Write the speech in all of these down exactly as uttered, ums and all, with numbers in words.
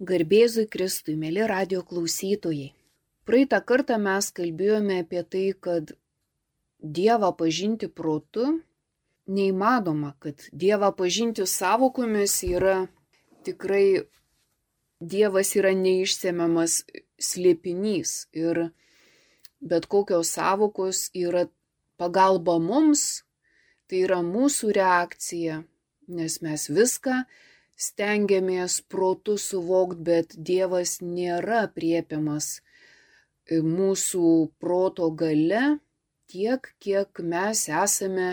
Garbėzui Kristui, mėly radijo klausytojai. Praeitą kartą mes kalbėjome apie tai, kad Dievą pažinti protu neįmanoma, kad Dievą pažinti sąvokomis yra tikrai, Dievas yra neišsemiamas slėpinys ir bet kokios sąvokos yra pagalba mums, tai yra mūsų reakcija, nes mes viską stengiamės protu suvokti, bet Dievas nėra apriepiamas mūsų proto gale tiek, kiek mes esame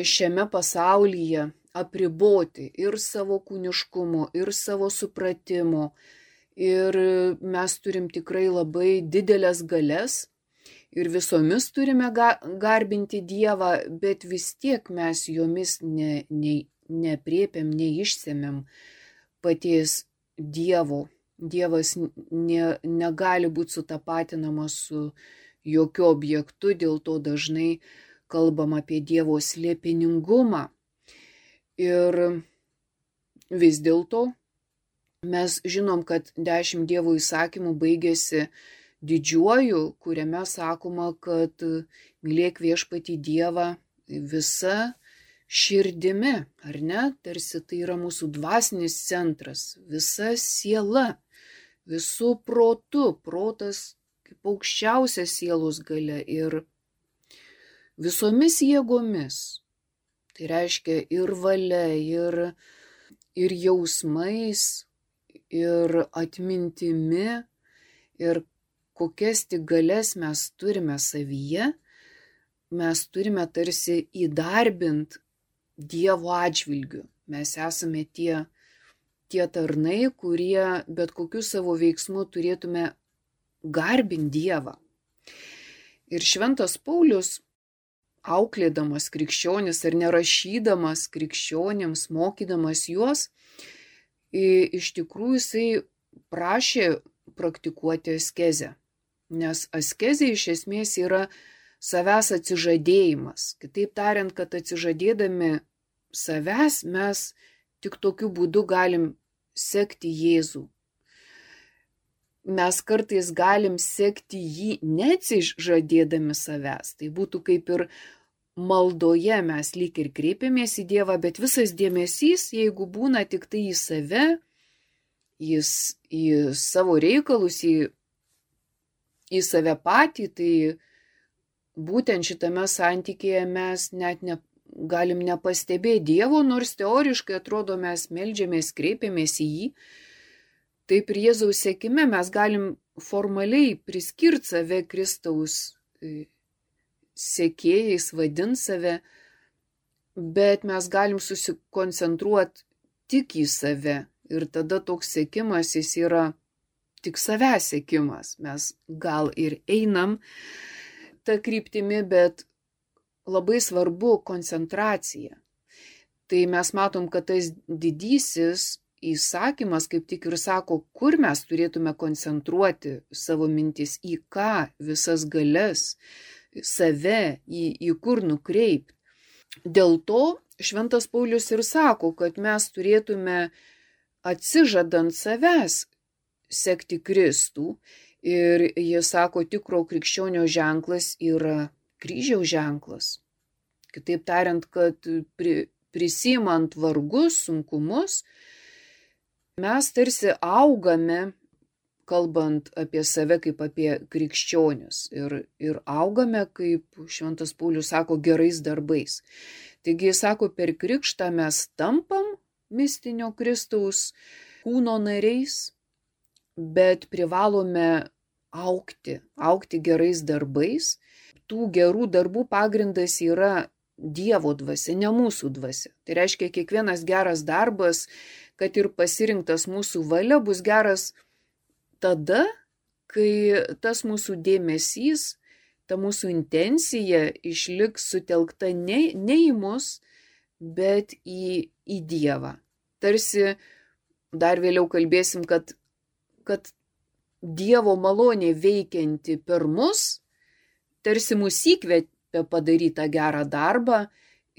šiame pasaulyje apriboti ir savo kūniškumo, ir savo supratimo. Ir mes turim tikrai labai didelės galias ir visomis turime garbinti Dievą, bet vis tiek mes jomis ne, ne, nepriepiam, neišsemiam paties Dievo. Dievas ne, negali būti sutapatinamas su jokiu objektu, dėl to dažnai kalbam apie Dievo slėpiningumą. Ir vis dėlto mes žinom, kad dešimt Dievo įsakymų baigėsi didžiuoju, kuriame sakoma, kad mylėk viešpatį Dievą visa širdimi, ar ne? Tarsi tai yra mūsų dvasinis centras, visa siela, visų protu, protas kaip aukščiausia sielos galia ir visomis jėgomis. Tai reiškia ir valia, ir, ir jausmais, ir atmintimi, ir kokias tik galias mes turime savyje, mes turime tarsi įdarbinti Dievo atžvilgiu. Mes esame tie, tie tarnai, kurie bet kokiu savo veiksmu turėtume garbinti Dievą. Ir šventas Paulius, auklėdamas krikščionis ar nerašydamas krikščionims, mokydamas juos, iš tikrųjų jisai prašė praktikuoti askezę. Nes askezė iš esmės yra savęs atsižadėjimas. Kitaip tariant, kad atsižadėdami savęs mes tik tokiu būdu galim sekti Jėzų. Mes kartais galim sekti jį neatsižadėdami savęs. Tai būtų kaip ir maldoje mes lyg ir kreipiamės į Dievą, bet visas dėmesys, jeigu būna tik tai į save, į, į savo reikalus, į, į save patį, tai būtent šitame santykėje mes net ne, galim nepastebėti Dievo, nors teoriškai atrodo mes meldžiamės, kreipiamės į jį. Taip ir Jėzaus sekime mes galim formaliai priskirti save Kristaus sekėjais, vadinti save, bet mes galim susikoncentruoti tik į save. Ir tada toks sekimas, jis yra tik savęs sekimas. Mes gal ir einam tą kryptimį, bet labai svarbu koncentracija. Tai mes matom, kad tas didysis įsakymas kaip tik ir sako, kur mes turėtume koncentruoti savo mintis, į ką, visas galias, save, į, į kur nukreipti. Dėl to šventas Paulius ir sako, kad mes turėtume atsižadant savęs sekti Kristų. Ir jis sako, tikro krikščionio ženklas yra kryžiaus ženklas. Kitaip tariant, kad pri, prisimant vargus, sunkumus, mes tarsi augame, kalbant apie save kaip apie krikščionius. Ir, ir augame, kaip šventas Paulius sako, gerais darbais. Taigi jis sako, per krikštą mes tampam mistinio Kristaus kūno nariais, bet privalome augti, augti gerais darbais. Tų gerų darbų pagrindas yra Dievo dvasia, ne mūsų dvasia. Tai reiškia, kiekvienas geras darbas, kad ir pasirinktas mūsų valia, bus geras tada, kai tas mūsų dėmesys, ta mūsų intencija išliks sutelkta ne, ne į mus, bet į, į Dievą. Tarsi dar vėliau kalbėsim, kad, kad Dievo malonė veikianti per mus, tarsi mus įkvepia padaryti tą gerą darbą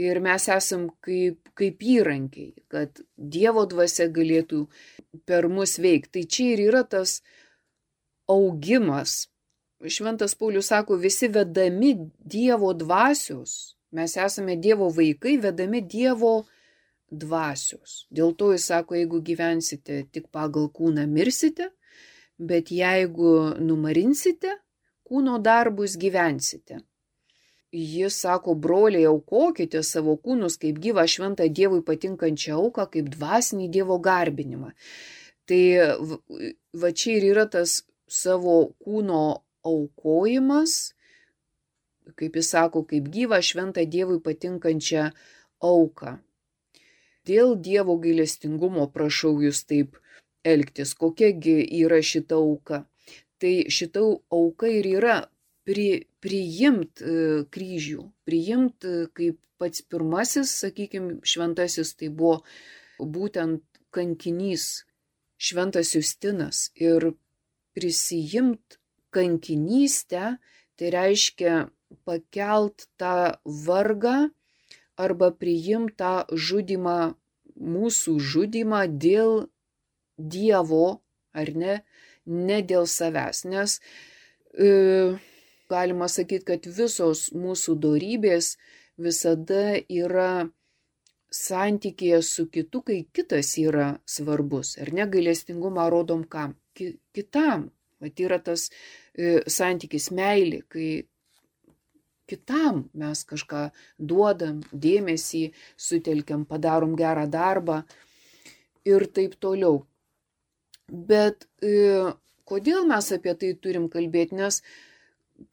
Ir mes esam kaip, kaip įrankiai, kad Dievo dvasia galėtų per mus veikti. Tai čia ir yra tas augimas. Šventas Paulius sako, visi vedami Dievo dvasios. Mes esame Dievo vaikai, vedami Dievo dvasios. Dėl to jis sako, jeigu gyvensite tik pagal kūną, mirsite, bet jeigu numarinsite kūno darbus, gyvensite. Jis sako, broliai, aukokite savo kūnus kaip gyvą šventą Dievui patinkančią auką, kaip dvasinį Dievo garbinimą. Tai va čia ir yra tas savo kūno aukojimas, kaip jis sako, kaip gyvą šventą Dievui patinkančią auką. Dėl Dievo gailestingumo prašau jūs taip elgtis. Kokiagi yra šita auka? Tai šita auka ir yra pri, priimt e, kryžių, priimt e, kaip pats pirmasis, sakykime, šventasis, tai buvo būtent kankinys, šventas Justinas. Ir prisijimt kankinystę, tai reiškia pakelt tą vargą arba priimt tą žudymą, mūsų žudymą dėl Dievo, ar ne, ne dėl savęs. Nes e, galima sakyti, kad visos mūsų dorybės visada yra santykėje su kitu, kai kitas yra svarbus. Ar ne, gailestingumą rodom kam? Ki, kitam. Vat yra tas e, santykis meilė, kai kitam mes kažką duodam, dėmesį sutelkiam, padarom gerą darbą ir taip toliau. Bet e, kodėl mes apie tai turim kalbėti? Nes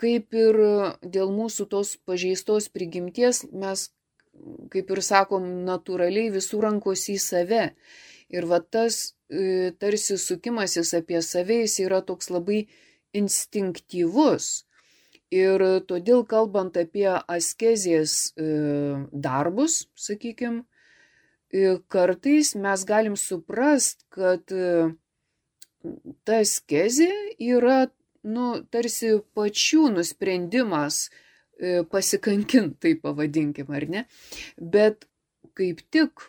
kaip ir dėl mūsų tos pažeistos prigimties, mes, kaip ir sakom, natūraliai visų rankos į save. Ir va tas e, tarsi sukimasis apie save, jis yra toks labai instinktyvus. Ir todėl, kalbant apie askezės e, darbus, sakykime, e, kartais mes galim suprast, kad e, ta askezė yra, nu, tarsi pačių nusprendimas e, pasikankinti, tai pavadinkim, ar ne? Bet kaip tik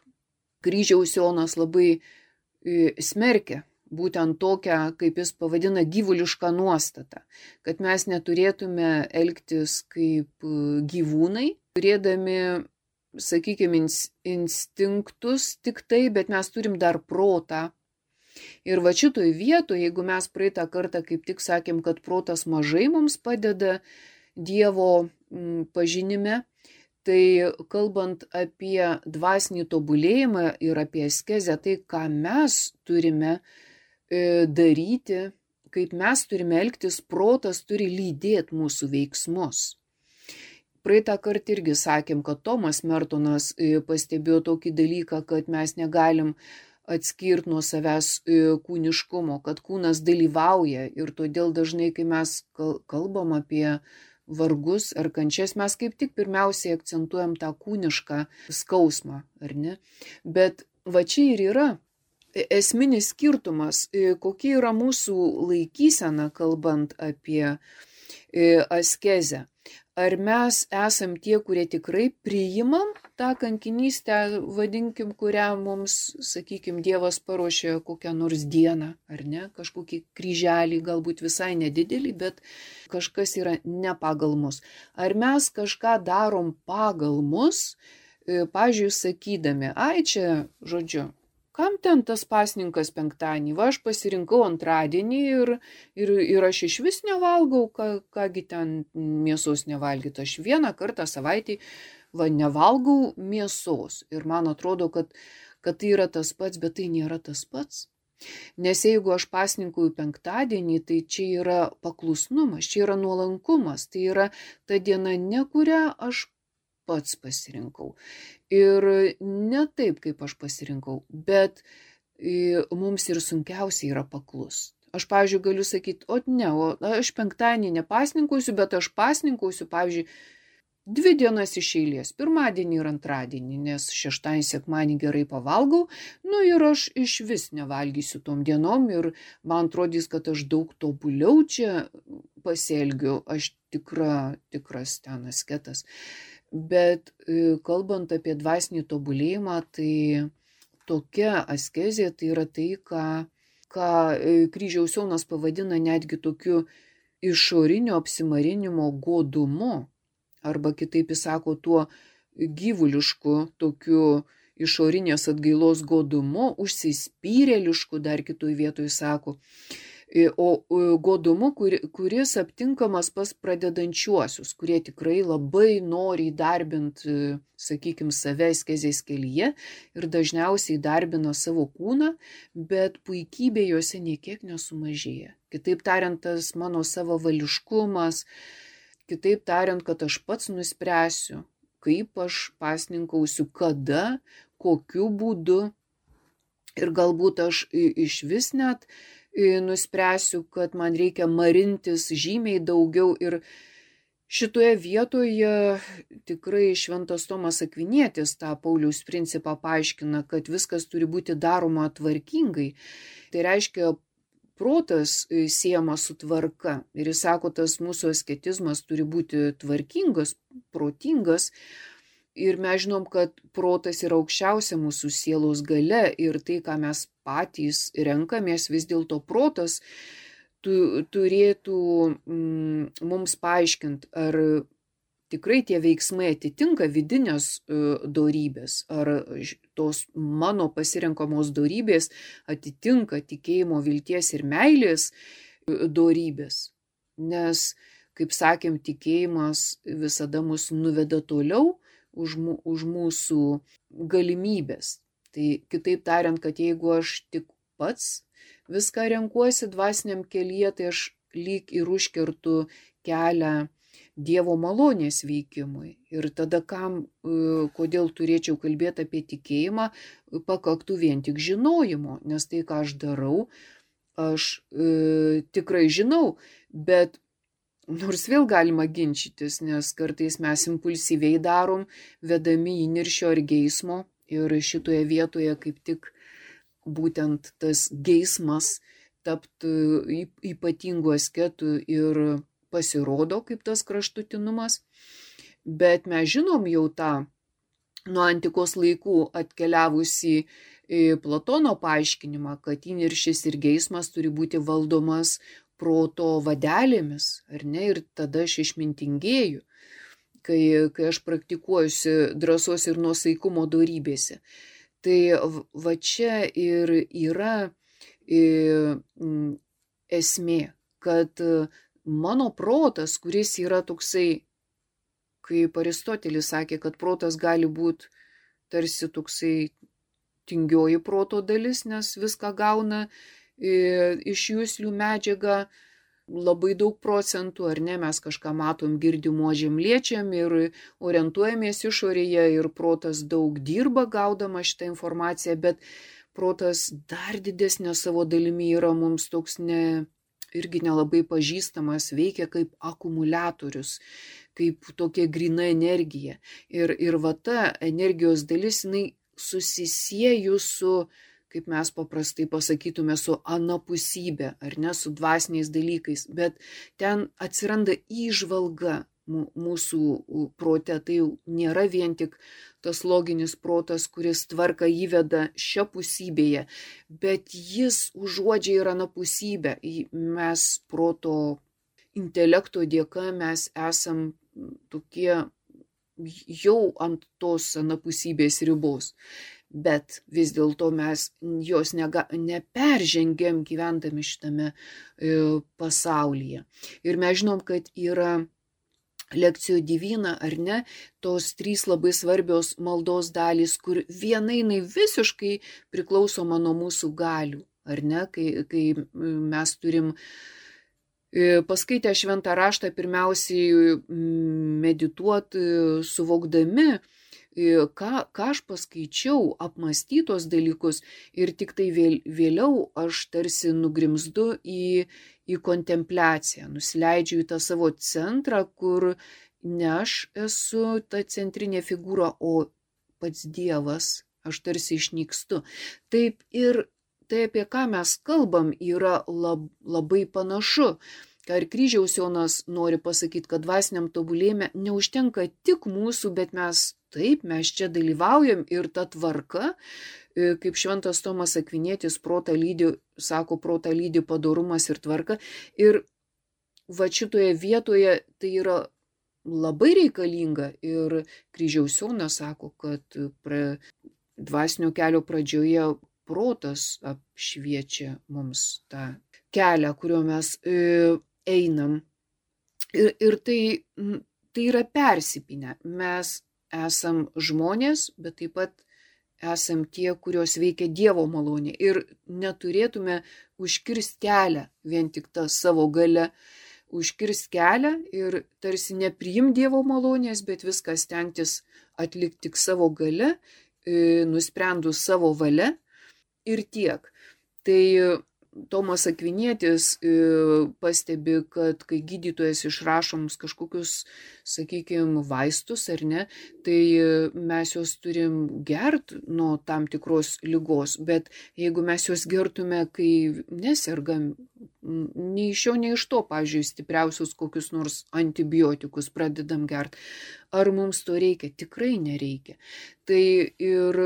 kryžiaus Jonas labai e, smerkia būtent tokią, kaip jis pavadina, gyvulišką nuostatą, kad mes neturėtume elgtis kaip gyvūnai, turėdami, sakykime, instinktus tik tai, bet mes turim dar protą. Ir va šitoj vietoje, jeigu mes praeitą kartą kaip tik sakėm, kad protas mažai mums padeda Dievo pažinime, tai kalbant apie dvasinį tobulėjimą ir apie askezę, tai ką mes turime daryti, kaip mes turime elgtis, protas turi lydėti mūsų veiksmus. Praeitą kartą irgi sakėm, kad Tomas Mertonas pastebėjo tokį dalyką, kad mes negalim atskirti nuo savęs kūniškumo, kad kūnas dalyvauja ir todėl dažnai, kai mes kalbam apie vargus ar kančias, mes kaip tik pirmiausiai akcentuojam tą kūnišką skausmą, ar ne? Bet va čia ir yra esminis skirtumas, kokia yra mūsų laikysena, kalbant apie askezę. Ar mes esam tie, kurie tikrai priimam tą kankinystę, vadinkim, kurią mums, sakykim, Dievas paruošė kokią nors dieną, ar ne, kažkokį kryželį, galbūt visai nedidelį, bet kažkas yra ne pagal mus. Ar mes kažką darom pagal mus, pavyzdžiui, sakydami, ai čia, žodžiu, kam ten tas pasninkas penktadienį, va aš pasirinkau antradienį ir, ir, ir aš iš vis nevalgau, ką, kągi ten mėsos nevalgyti. Aš vieną kartą savaitį va nevalgau mėsos ir man atrodo, kad, kad tai yra tas pats, bet tai nėra tas pats. Nes jeigu aš pasninkauju penktadienį, tai čia yra paklusnumas, čia yra nuolankumas, tai yra ta diena, ne kurią aš pats pasirinkau. Ir ne taip, kaip aš pasirinkau, bet mums ir sunkiausia yra paklus. Aš, pavyzdžiui, galiu sakyti, o ne, o aš penktadienį nepasninkausiu, bet aš pasninkausiu, pavyzdžiui, dvi dienas iš eilės, pirmadienį ir antradienį, nes šeštadienį, sekmadienį gerai pavalgau, nu ir aš iš vis nevalgysiu tom dienom ir man atrodys, kad aš daug tobuliau čia pasielgiu, aš tikra, tikras ten asketas. Bet kalbant apie dvasinį tobulėjimą, tai tokia askezė tai yra tai, ką, ką Kryžiaus Jonas pavadina netgi tokiu išorinio apsimarinimo godumu, arba kitaip jis sako tuo gyvulišku, tokiu išorinės atgailos godumu, užsispyrėlišku, dar kitoj vietoj sako, o godumu, kuris aptinkamas pas pradedančiuosius, kurie tikrai labai nori įdarbinti, sakykime, save askezės kelyje ir dažniausiai įdarbina savo kūną, bet puikybė juose niekiek nesumažėja. Kitaip tariant, tas mano savavališkumas, kitaip tariant, kad aš pats nuspręsiu, kaip aš pasninkausiu, kada, kokiu būdu, ir galbūt aš iš vis net nuspręsiu, kad man reikia marintis žymiai daugiau. Ir šitoje vietoje tikrai šventas Tomas Akvinietis tą Pauliaus principą paaiškina, kad viskas turi būti daroma tvarkingai. Tai reiškia, protas siejamas su tvarka. Ir jis sako, tas mūsų asketizmas turi būti tvarkingas, protingas. Ir mes žinom, kad protas yra aukščiausia mūsų sielos galia ir tai, ką mes patys renkamės, vis dėlto protas tu, turėtų mm, mums paaiškinti, ar tikrai tie veiksmai atitinka vidinės uh, dorybės, ar tos mano pasirenkamos dorybės atitinka tikėjimo, vilties ir meilės uh, dorybės. Nes, kaip sakėm, tikėjimas visada mus nuveda toliau Už, už mūsų galimybės. Tai kitaip tariant, kad jeigu aš tik pats viską renkuosi dvasiniam kelyje, tai aš lyg ir užkertu kelią Dievo malonės veikimui. Ir tada kam, kodėl turėčiau kalbėti apie tikėjimą, pakaktų vien tik žinojimo, nes tai, ką aš darau, aš e, tikrai žinau, bet nors vėl galima ginčytis, nes kartais mes impulsyviai darom, vedami įniršio ar geismo, ir šitoje vietoje kaip tik būtent tas geismas taptų ypatingu asketu ir pasirodo kaip tas kraštutinumas. Bet mes žinom jau tą nuo antikos laikų atkeliavusi Platono paaiškinimą, kad įniršis ir geismas turi būti valdomas proto vadelėmis, ar ne, ir tada aš išmintingėju, kai, kai aš praktikuojusi drąsos ir nuosaikumo dorybėse. Tai va čia ir yra esmė, kad mano protas, kuris yra toksai, kaip Aristotelis sakė, kad protas gali būti tarsi toksai tingioji proto dalis, nes viską gauna iš juslių medžiagą labai daug procentų, ar ne, mes kažką matom, girdim, uodžiam, liečiam ir orientuojamės išorėje ir protas daug dirba gaudama šitą informaciją, bet protas dar didesnė savo dalimi yra mums toks ne, irgi nelabai pažįstamas, veikia kaip akumuliatorius, kaip tokia gryna energija. Ir, ir va ta energijos dalis, jinai susisieju su, kaip mes paprastai pasakytume, su anapusybė, ar ne, su dvasiniais dalykais, bet ten atsiranda įžvalga mūsų prote, tai jau nėra vien tik tas loginis protas, kuris tvarką įveda šiapusybėje, bet jis užuodžia ir anapusybę. Mes proto intelekto dėka mes esam tokie jau ant tos anapusybės ribos. Bet vis dėlto mes jos nega, neperžengėm gyvendami šitame e, pasaulyje. Ir mes žinom, kad yra lekcijų divina, ar ne, tos trys labai svarbios maldos dalys, kur viena jinai visiškai priklausoma nuo mūsų galių, ar ne, kai, kai mes turim e, paskaitę šventą raštą pirmiausiai medituoti, suvokdami, Ką, ką aš paskaičiau, apmąstytos dalykus ir tik tai vėl, vėliau aš tarsi nugrimzdu į, į kontempliaciją, nusileidžiu į tą savo centrą, kur ne aš esu ta centrinė figūra, o pats Dievas, aš tarsi išnykstu. Taip ir tai, apie ką mes kalbam, yra lab, labai panašu. ką ir kryžiaus Jonas nori pasakyti, kad dvasiniam tobulėjime neužtenka tik mūsų, bet mes taip, mes čia dalyvaujam ir ta tvarka, kaip šventas Tomas Akvinietis protą lydi, sako, protą lydi padorumas ir tvarka. Ir va šitoje vietoje tai yra labai reikalinga ir kryžiaus Jonas sako, kad pra, dvasinio kelio pradžioje protas apšviečia mums tą kelią, kuriuo mes e, einam. Ir, ir tai, tai yra persipinę. Mes esam žmonės, bet taip pat esam tie, kurios veikia Dievo malonė. Ir neturėtume užkirsti kelią vien tik tą savo galę, užkirsti kelią ir tarsi nepriim Dievo malonės, bet viską stengtis atlikti tik savo galę, e, nusprendus savo valia. Ir tiek. Tai Tomas Akvinietis pastebi, kad kai gydytojas išrašo mums kažkokius, sakykime, vaistus ar ne, tai mes juos turim gert nuo tam tikros ligos, bet jeigu mes juos gertume, kai nesergam, nei iš jo, nei iš to, pavyzdžiui, stipriausius kokius nors antibiotikus pradedam gert, ar mums to reikia? Tikrai nereikia. Tai ir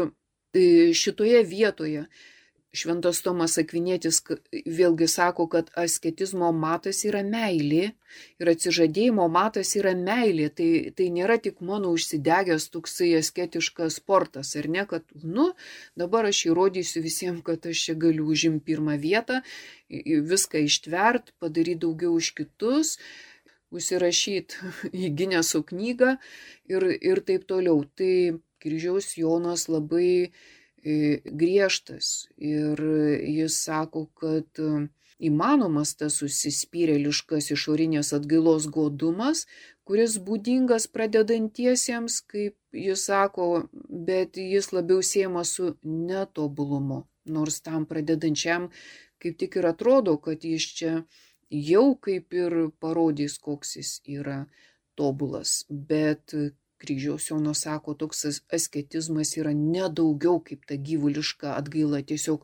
šitoje vietoje šventas Tomas Akvinietis vėlgi sako, kad asketizmo matas yra meilė ir atsižadėjimo matas yra meilė. Tai, tai nėra tik mano užsidegęs toksai asketiškas sportas, ar ne, kad, nu, dabar aš įrodysiu visiems, kad aš čia galiu užimti pirmą vietą, viską ištvert, padaryti daugiau už kitus, užsirašyti į Gineso knygą ir, ir taip toliau. Tai kryžiaus Jonas labai griežtas ir jis sako, kad įmanomas tas užsispyrėliškas išorinės atgailos godumas, kuris būdingas pradedantiesiems, kaip jis sako, bet jis labiau siejamas su netobulumu, nors tam pradedančiam kaip tik ir atrodo, kad jis čia jau kaip ir parodys, koks jis yra tobulas, bet kryžiaus Jonas sako, toks asketizmas yra nedaugiau kaip ta gyvuliška atgaila. Tiesiog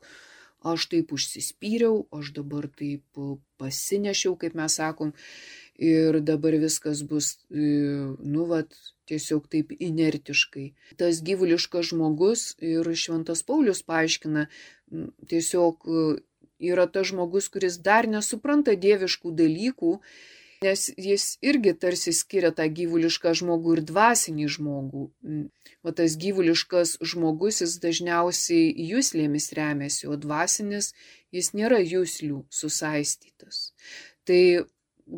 aš taip užsispyriau, aš dabar taip pasinešiau, kaip mes sakom, ir dabar viskas bus, nu, vat, tiesiog taip inertiškai. Tas gyvuliškas žmogus, ir šventas Paulius paaiškina, tiesiog yra tas žmogus, kuris dar nesupranta dieviškų dalykų, nes jis irgi tarsi skiria tą gyvulišką žmogų ir dvasinį žmogų. O tas gyvuliškas žmogus, jis dažniausiai juslėmis remiasi, o dvasinis jis nėra juslių susaistytas. Tai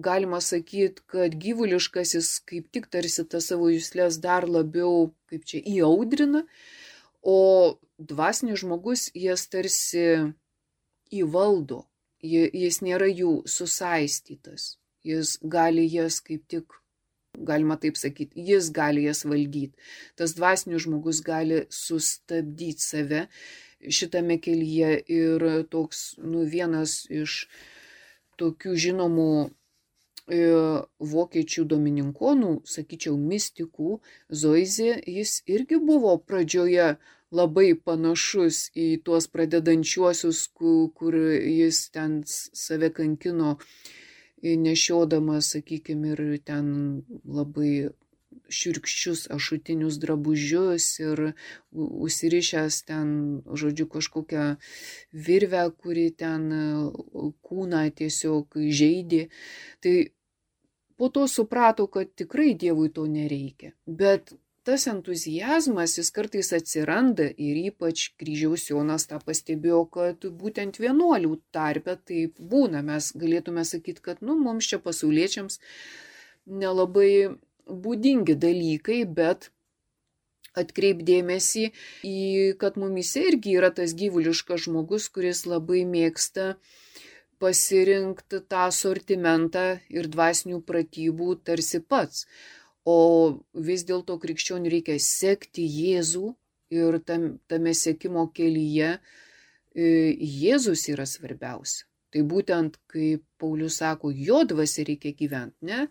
galima sakyti, kad gyvuliškasis kaip tik tarsi tą savo juslės dar labiau, kaip čia, įaudrina, o dvasinis žmogus jas tarsi įvaldo, jis nėra jų susaistytas. Jis gali jas kaip tik, galima taip sakyti, jis gali jas valdyti. Tas dvasinis žmogus gali sustabdyti save šitame kelyje ir toks, nu, vienas iš tokių žinomų e, vokiečių domininkonų, sakyčiau, mistikų, Zoizė, jis irgi buvo pradžioje labai panašus į tuos pradedančiuosius, kur, kur jis ten save kankino, nešiodamas, sakykime, ir ten labai šiurkščius ašutinius drabužius ir užsirišęs ten, žodžiu, kažkokią virvę, kuri ten kūną tiesiog žeidė. Tai po to suprato, kad tikrai Dievui to nereikia. Bet tas entuzijazmas, jis kartais atsiranda ir ypač kryžiaus Jonas tą pastebėjo, kad būtent vienuolių tarpe taip būna. Mes galėtume sakyti, kad, nu, mums čia pasauliečiams nelabai būdingi dalykai, bet atkreipdėmėsi į, kad mumise irgi yra tas gyvuliškas žmogus, kuris labai mėgsta pasirinkti tą asortimentą ir dvasinių pratybų tarsi pats. O vis dėlto krikščionių reikia sekti Jėzų ir tam, tame sekimo kelyje Jėzus yra svarbiausia. Tai būtent, kaip Paulius sako, jo dvasia reikia gyventi, ne,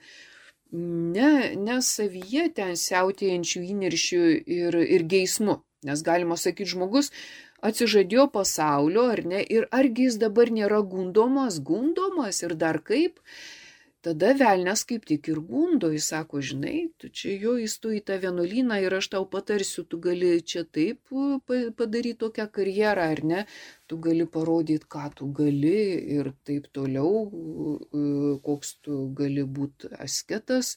ne, ne savyje ten siautėjančių įniršių ir, ir geismu. Nes galima sakyti, žmogus atsižadėjo pasaulio, ar ne, ir argi jis dabar nėra gundomas, gundomas ir dar kaip. tada velnias kaip tik ir gundo, jis sako, žinai, tu čia jo įstu į tą vienuolyną ir aš tau patarsiu, tu gali čia taip padaryti tokią karjerą, ar ne, tu gali parodyti, ką tu gali ir taip toliau, koks tu gali būti asketas,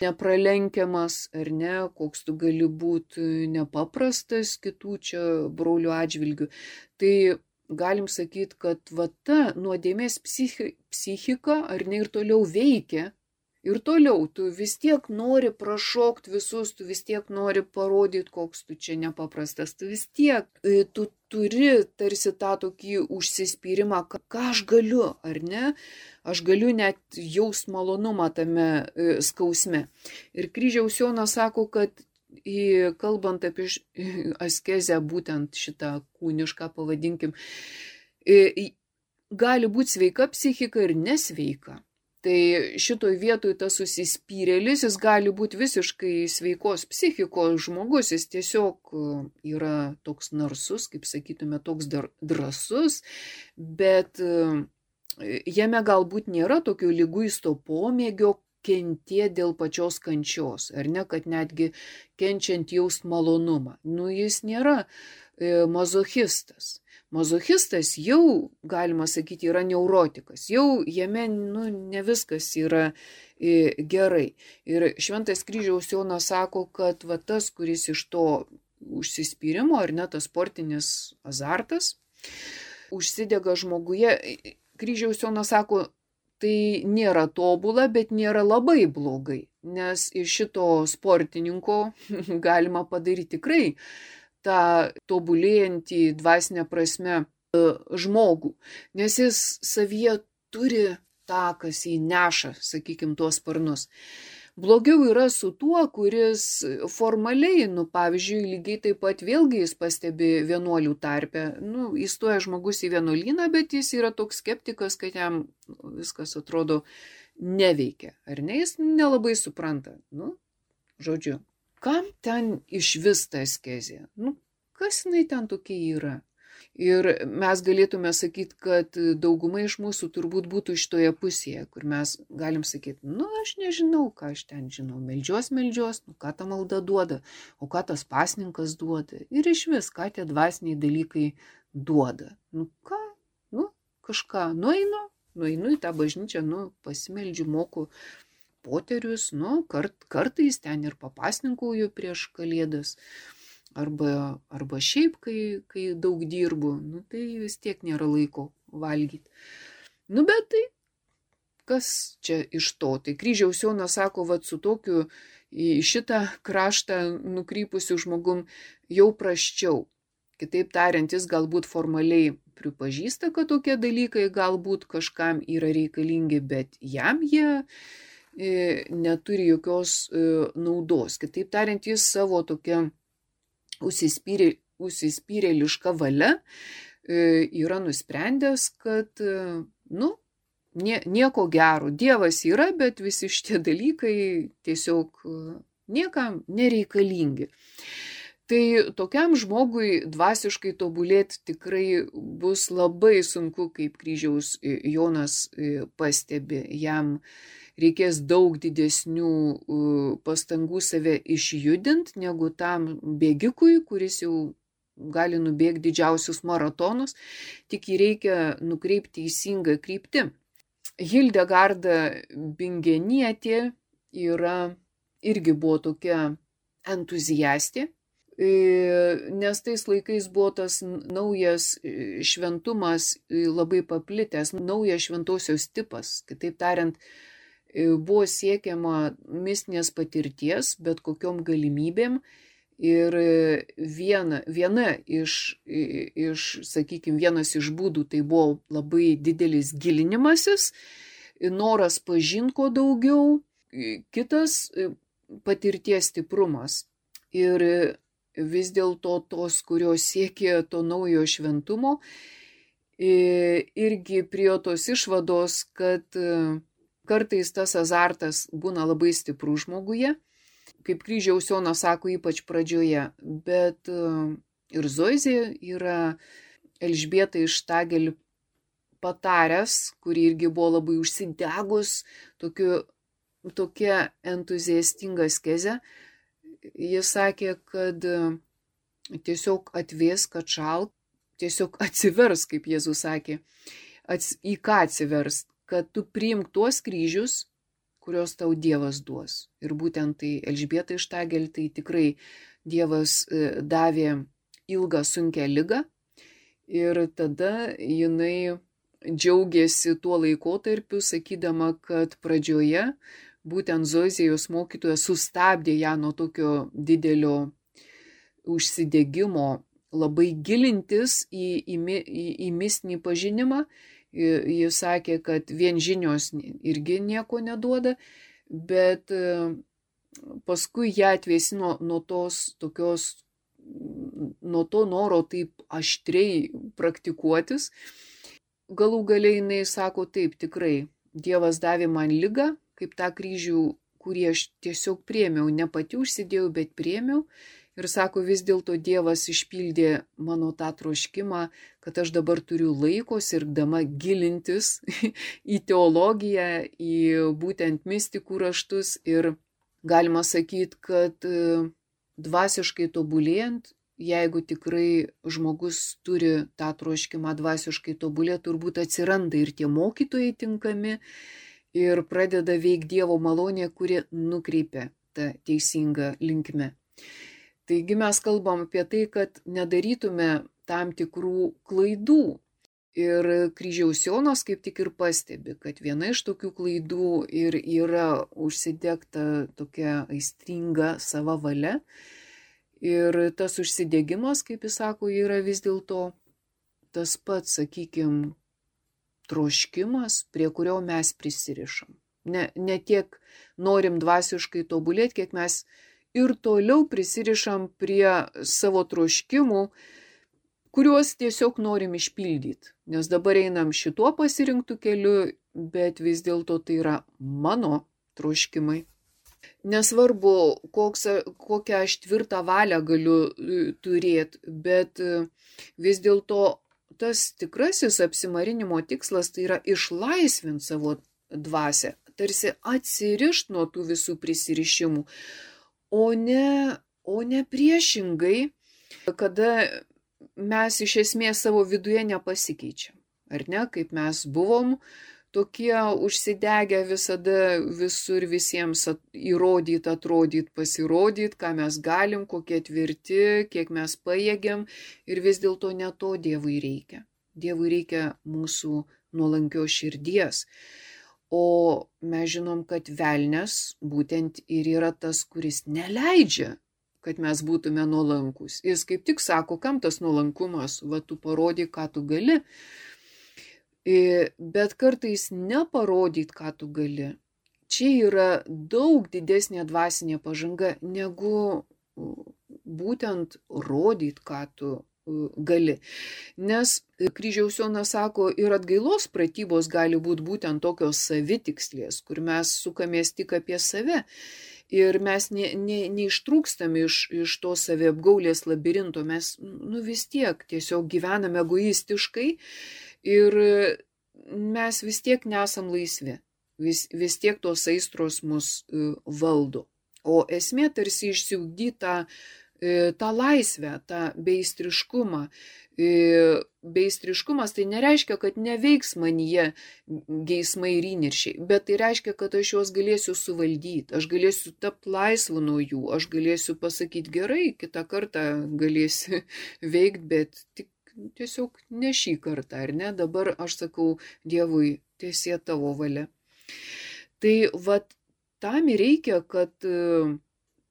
nepralenkiamas, ar ne, koks tu gali būti nepaprastas kitų čia brolių atžvilgių. Tai galim sakyti, kad va ta nuodėmės psichi, psichika, ar ne, ir toliau veikia. Ir toliau, tu vis tiek nori prašokti visus, tu vis tiek nori parodyti, koks tu čia nepaprastas. Tu vis tiek, tu turi tarsi tą tokį užsispyrimą, ką aš galiu, ar ne? Aš galiu net jaust malonumą tame skausme. Ir Kryžiaus Jonas sako, kad į, kalbant apie askezę, būtent šitą kūnišką, pavadinkim, gali būti sveika psichika ir nesveika. Tai šitoj vietoj tas užsispyrėlis, jis gali būti visiškai sveikos psichikos žmogus, jis tiesiog yra toks narsus, kaip sakytume, toks drąsus, bet jame galbūt nėra tokio liguisto pomėgio kentėti dėl pačios kančios, ar ne, kad netgi kenčiant jaust malonumą. Nu, jis nėra e, mazochistas. Mazochistas jau, galima sakyti, yra neurotikas. Jau jame nu, ne viskas yra e, gerai. Ir Šventas Kryžiaus Jonas sako, kad va, tas, kuris iš to užsispyrimo, ar ne, tas sportinis azartas, užsidega žmoguje. Kryžiaus Jonas sako, tai nėra tobula, bet nėra labai blogai, nes iš šito sportininko galima padaryti tikrai tą tobulėjantį dvasinę prasme žmogų, nes jis savyje turi tą, kas jį neša, sakykime, tuos sparnus. Blogiau yra su tuo, kuris formaliai, nu, pavyzdžiui, lygiai taip pat vėlgi jis pastebi vienuolių tarpe. Nu, įstoja žmogus į vienuolyną, bet jis yra toks skeptikas, kad jam viskas atrodo neveikia. Ar ne, jis nelabai supranta. Nu, žodžiu, kam ten iš vis ta askezė? Nu, kas jinai ten tokia yra? Ir mes galėtume sakyti, kad dauguma iš mūsų turbūt būtų šitoje pusėje, kur mes galim sakyti, nu aš nežinau, ką aš ten žinau, meldžios, meldžios, nu ką ta malda duoda, o ką tas pasninkas duoda. Ir iš vis, ką tie dvasiniai dalykai duoda. Nu ką, nu kažką, nueinu, nueinu į tą bažnyčią, nu pasimeldžiu, moku poterius, nu kart, kartais ten ir papasninkauju prieš kalėdas. Arba, arba šiaip, kai, kai daug dirbu, nu, tai vis tiek nėra laiko valgyti. Nu, bet tai, kas čia iš to? Tai Kryžiaus Jonas sako, vat su tokiu į šitą kraštą nukrypusiu žmogum jau prasčiau. Kitaip tariant, jis galbūt formaliai pripažįsta, kad tokie dalykai galbūt kažkam yra reikalingi, bet jam jie e, neturi jokios e, naudos. Kitaip tariant, jis savo tokia Užsispyrė, užsispyrėliška valia e, yra nusprendęs, kad e, nu, nie, nieko gero. Dievas yra, bet visi šitie dalykai tiesiog e, niekam nereikalingi. Tai tokiam žmogui dvasiškai tobulėti tikrai bus labai sunku, kaip Kryžiaus Jonas e, pastebi. Jam reikės daug didesnių pastangų save išjudinti, negu tam bėgikui, kuris jau gali nubėgti didžiausius maratonus, tik jį reikia nukreipti teisingą kryptį. Hildegarda Bingenietė yra, irgi buvo tokia entuziastė, nes tais laikais buvo tas naujas šventumas labai paplitęs, naujas šventosios tipas, kitaip tariant, buvo siekiama mistinės patirties, bet kokiom galimybėm. Ir viena, viena iš, iš, sakykime, vienas iš būdų tai buvo labai didelis gilinimasis, noras pažinti ko daugiau, kitas patirties stiprumas. Ir vis dėlto tos, kurios siekė to naujo šventumo, irgi prie tos išvados, kad kartais tas azartas būna labai stiprus žmoguje, kaip Kryžiaus Jonas sako, ypač pradžioje, bet ir Zoizė yra Elžbieta iš Štagel pataręs, kuri irgi buvo labai užsidegus, tokiu, tokia entuziastinga askezė, jis sakė, kad tiesiog atvėsk, atšalk, tiesiog atsivers, kaip Jėzus sakė, ats, į ką atsivers, kad tu priimk tuos kryžius, kurios tau Dievas duos. Ir būtent tai Elžbieta Ištagel, tai tikrai Dievas davė ilgą sunkią ligą ir tada jinai džiaugiasi tuo laikotarpiu, sakydama, kad pradžioje būtent Zozijos mokytoja sustabdė ją nuo tokio didelio užsidegimo, labai gilintis į, į, į, į mistinį pažinimą. Jis sakė, kad vien žinios irgi nieko neduoda, bet paskui ją atvėsino nuo tos tokios, nuo to noro taip aštriai praktikuotis. Galų galiai jinai sako, taip, tikrai, Dievas davė man ligą, kaip tą kryžių, kurį aš tiesiog priėmiau, ne pati užsidėjau, bet priėmiau. Ir sako, vis dėlto Dievas išpildė mano tą troškimą, kad aš dabar turiu laiko sirgdama gilintis į teologiją, į būtent mistikų raštus. Ir galima sakyti, kad dvasiškai tobulėjant, jeigu tikrai žmogus turi tą troškimą dvasiškai tobulėti, turbūt atsiranda ir tie mokytojai tinkami ir pradeda veikti Dievo malonė, kuri nukreipia tą teisingą linkmę. Taigi mes kalbam apie tai, kad nedarytume tam tikrų klaidų. Ir Kryžiaus Jonas kaip tik ir pastebi, kad viena iš tokių klaidų ir yra užsidegta tokia aistringa sava valia. Ir tas užsidegimas, kaip jis sako, yra vis dėlto tas pats, sakykime, troškimas, prie kurio mes prisirišam. Ne, ne tiek norim dvasiškai tobulėti, kiek mes ir toliau prisirišam prie savo troškimų, kuriuos tiesiog norim išpildyti. Nes dabar einam šituo pasirinktų keliu, bet vis dėlto tai yra mano troškimai. Nesvarbu, koks, kokią aš tvirtą valią galiu turėti, bet vis dėlto tas tikrasis apsimarinimo tikslas tai yra išlaisvinti savo dvasią, tarsi atsirišti nuo tų visų prisirišimų. O ne, o ne priešingai, kada mes iš esmės savo viduje nepasikeičiam. Ar ne, kaip mes buvom tokie užsidegę visada visur visiems įrodyti, atrodyti, pasirodyti, ką mes galim, kokie tvirti, kiek mes pajėgiam ir vis dėlto ne to Dievui reikia. Dievui reikia mūsų nuolankios širdies. O mes žinom, kad velnias būtent ir yra tas, kuris neleidžia, kad mes būtume nuolankus. Jis kaip tik sako, kam tas nuolankumas, va tu parodyk, ką tu gali. Bet kartais neparodyt, ką tu gali. Čia yra daug didesnė dvasinė pažanga, negu būtent rodyt, ką tu gali. Nes Kryžiaus Jonas sako, ir atgailos pratybos gali būti būtent tokios savitikslės, kur mes sukamės tik apie save. Ir mes ne, ne, neištrūkstam iš, iš to saviapgaulės labirinto, mes nu, vis tiek tiesiog gyvename egoistiškai ir mes vis tiek nesam laisvi, vis, vis tiek tos aistros mus valdo. O esmė tarsi išsiugdyta tą laisvę, tą beistriškumą. Beistriškumas tai nereiškia, kad neveiks manyje geismai ir įniršiai, bet tai reiškia, kad aš juos galėsiu suvaldyti, aš galėsiu tapti laisvu nuo jų, aš galėsiu pasakyti gerai, kitą kartą galėsiu veikti, bet tik tiesiog ne šį kartą, ar ne? Dabar aš sakau Dievui, tiesie tavo valia. Tai vat tam ir reikia, kad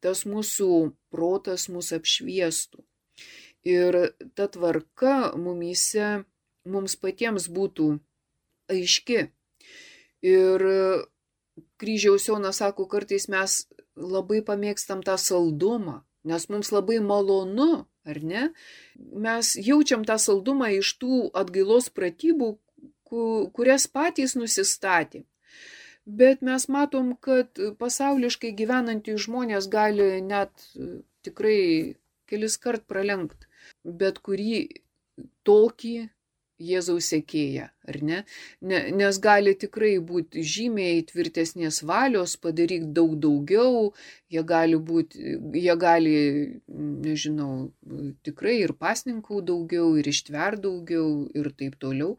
tas mūsų protas mus apšviestų. Ir ta tvarka mumyse, mums patiems būtų aiški. Ir Kryžiaus Jonas sako, kartais mes labai pamėgstam tą saldumą, nes mums labai malonu, ar ne? Mes jaučiam tą saldumą iš tų atgailos pratybų, kurias patys nusistatė. Bet mes matom, kad pasauliškai gyvenantys žmonės gali net tikrai kelis kart pralenkti bet kurį tokį Jėzaus sekėją, ar ne? ne? Nes gali tikrai būti žymiai tvirtesnės valios, padaryti daug daugiau, jie gali būti, jie gali, nežinau, tikrai ir pasninkų daugiau, ir ištvert daugiau, ir taip toliau.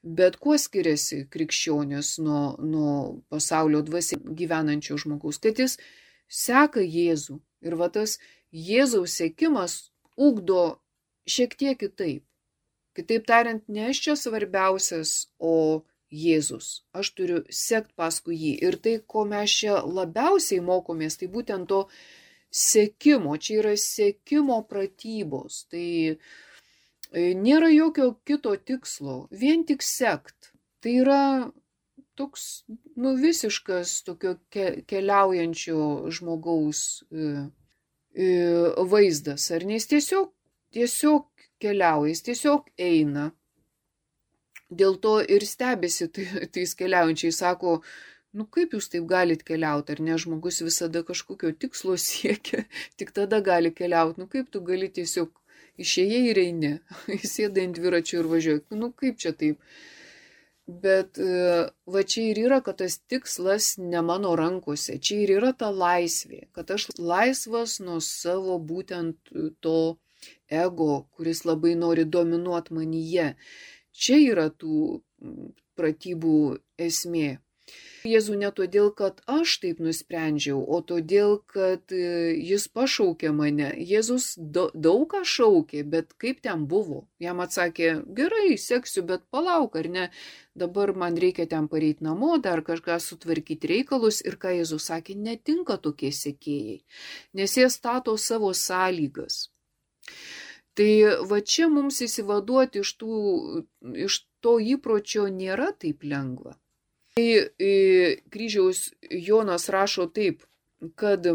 Bet kuo skiriasi krikščionis nuo, nuo pasaulio dvasia gyvenančio žmogaus? Kad jis seka Jėzų. Ir va tas Jėzaus sekimas ugdo šiek tiek kitaip. Kitaip tariant, ne aš čia svarbiausias, o Jėzus. Aš turiu sekti paskui jį. Ir tai, ko mes čia labiausiai mokomės, tai būtent to sekimo. Čia yra sekimo pratybos. Tai nėra jokio kito tikslo. Vien tik sekt. Tai yra toks, nu, visiškas tokio keliaujančio žmogaus vaizdas. Ar nes tiesiog, tiesiog keliauja, jis tiesiog eina. Dėl to ir stebisi tais keliaujančiai, sako, nu kaip jūs taip galit keliauti, ar ne, žmogus visada kažkokio tikslo siekia, tik tada gali keliauti, nu kaip tu gali tiesiog išėjai ir eini, įsėdai ant dviračio ir važiuoji, nu kaip čia taip. Bet va čia ir yra, kad tas tikslas ne mano rankose, čia ir yra ta laisvė, kad aš laisvas nuo savo būtent to ego, kuris labai nori dominuoti manyje. Čia yra tų pratybų esmė. Jėzų ne todėl, kad aš taip nusprendžiau, o todėl, kad jis pašaukė mane. Jėzus daug ką šaukė, bet kaip ten buvo? Jam atsakė, gerai, seksiu, bet palauk, ar ne? Dabar man reikia ten pareiti namo, dar kažką sutvarkyti reikalus. Ir ką Jėzus sakė, netinka tokie sekėjai, nes jie stato savo sąlygas. Tai va čia mums įsivaduoti iš, tų, iš to įpročio nėra taip lengva. Tai kryžiaus Jonas rašo taip, kad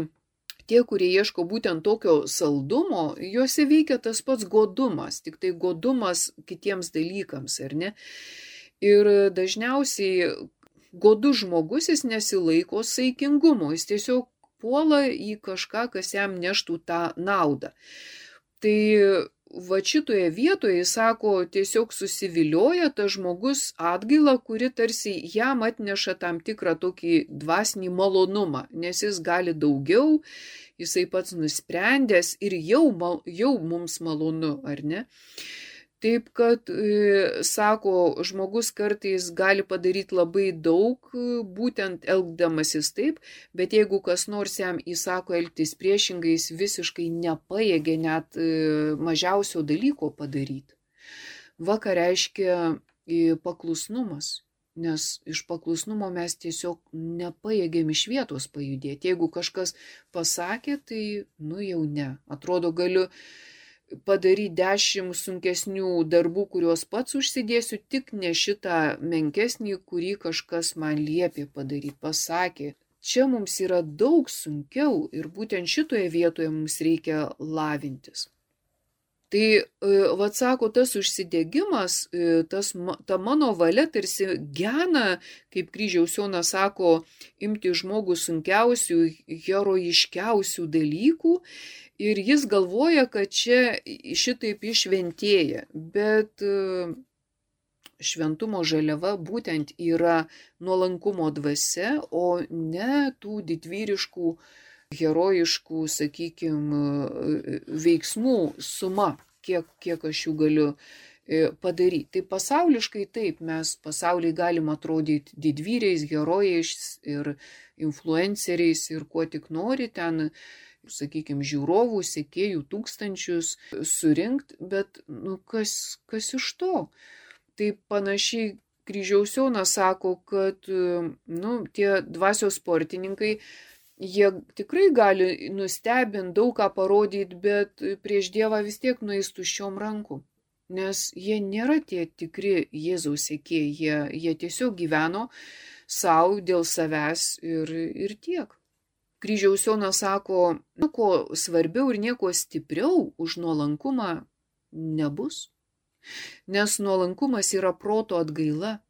tie, kurie ieško būtent tokio saldumo, juose veikia tas pats godumas, tik tai godumas kitiems dalykams, ar ne? Ir dažniausiai godus žmogus jis nesilaiko saikingumo, jis tiesiog puola į kažką, kas jam neštų tą naudą. Tai va šitoje vietoje, jis sako, tiesiog susivilioja tas žmogus atgailą, kuri tarsi jam atneša tam tikrą tokį dvasinį malonumą, nes jis gali daugiau, jisai pats nusprendęs ir jau, jau mums malonu, ar ne? Taip, kad, sako, žmogus kartais gali padaryti labai daug, būtent elgdamasis taip, bet jeigu kas nors jam įsako elgtis priešingai, jis visiškai nepajėgia net mažiausio dalyko padaryti. Va ką reiškia paklusnumas, nes iš paklusnumo mes tiesiog nepajėgiam iš vietos pajudėti. Jeigu kažkas pasakė, tai nu jau ne. Atrodo, galiu padaryti dešimt sunkesnių darbų, kuriuos pats užsidėsiu, tik ne šitą menkesnį, kurį kažkas man liepė padaryti, pasakė. Čia mums yra daug sunkiau ir būtent šitoje vietoje mums reikia lavintis. Tai, vat sako, tas užsidegimas, tas, ta mano valia tarsi gena, kaip kryžiaus Jonas sako, imti žmogų sunkiausių, herojiškiausių dalykų. Ir jis galvoja, kad čia šitaip išventėja, bet šventumo žaliava būtent yra nuolankumo dvasia, o ne tų didvyriškų, herojiškų, sakykime, veiksmų suma, kiek, kiek aš jų galiu padaryti. Tai pasauliškai taip, mes pasauliai galim atrodyti didvyriais, herojais ir influenceriais ir kuo tik nori ten, sakykime, žiūrovų, sekėjų tūkstančius surinkti, bet nu, kas, kas iš to? Tai panašiai kryžiaus Jonas sako, kad nu, tie dvasios sportininkai, jie tikrai gali nustebinti, daug ką parodyti, bet prieš Dievą vis tiek nueis tuščiom rankom. Nes jie nėra tie tikri Jėzaus sekėjai, jie, jie tiesiog gyveno savo dėl savęs ir, ir tiek. Kryžiaus Jonas sako, nieko svarbiau ir nieko stipriau už nuolankumą nebus, nes nuolankumas yra proto atgaila.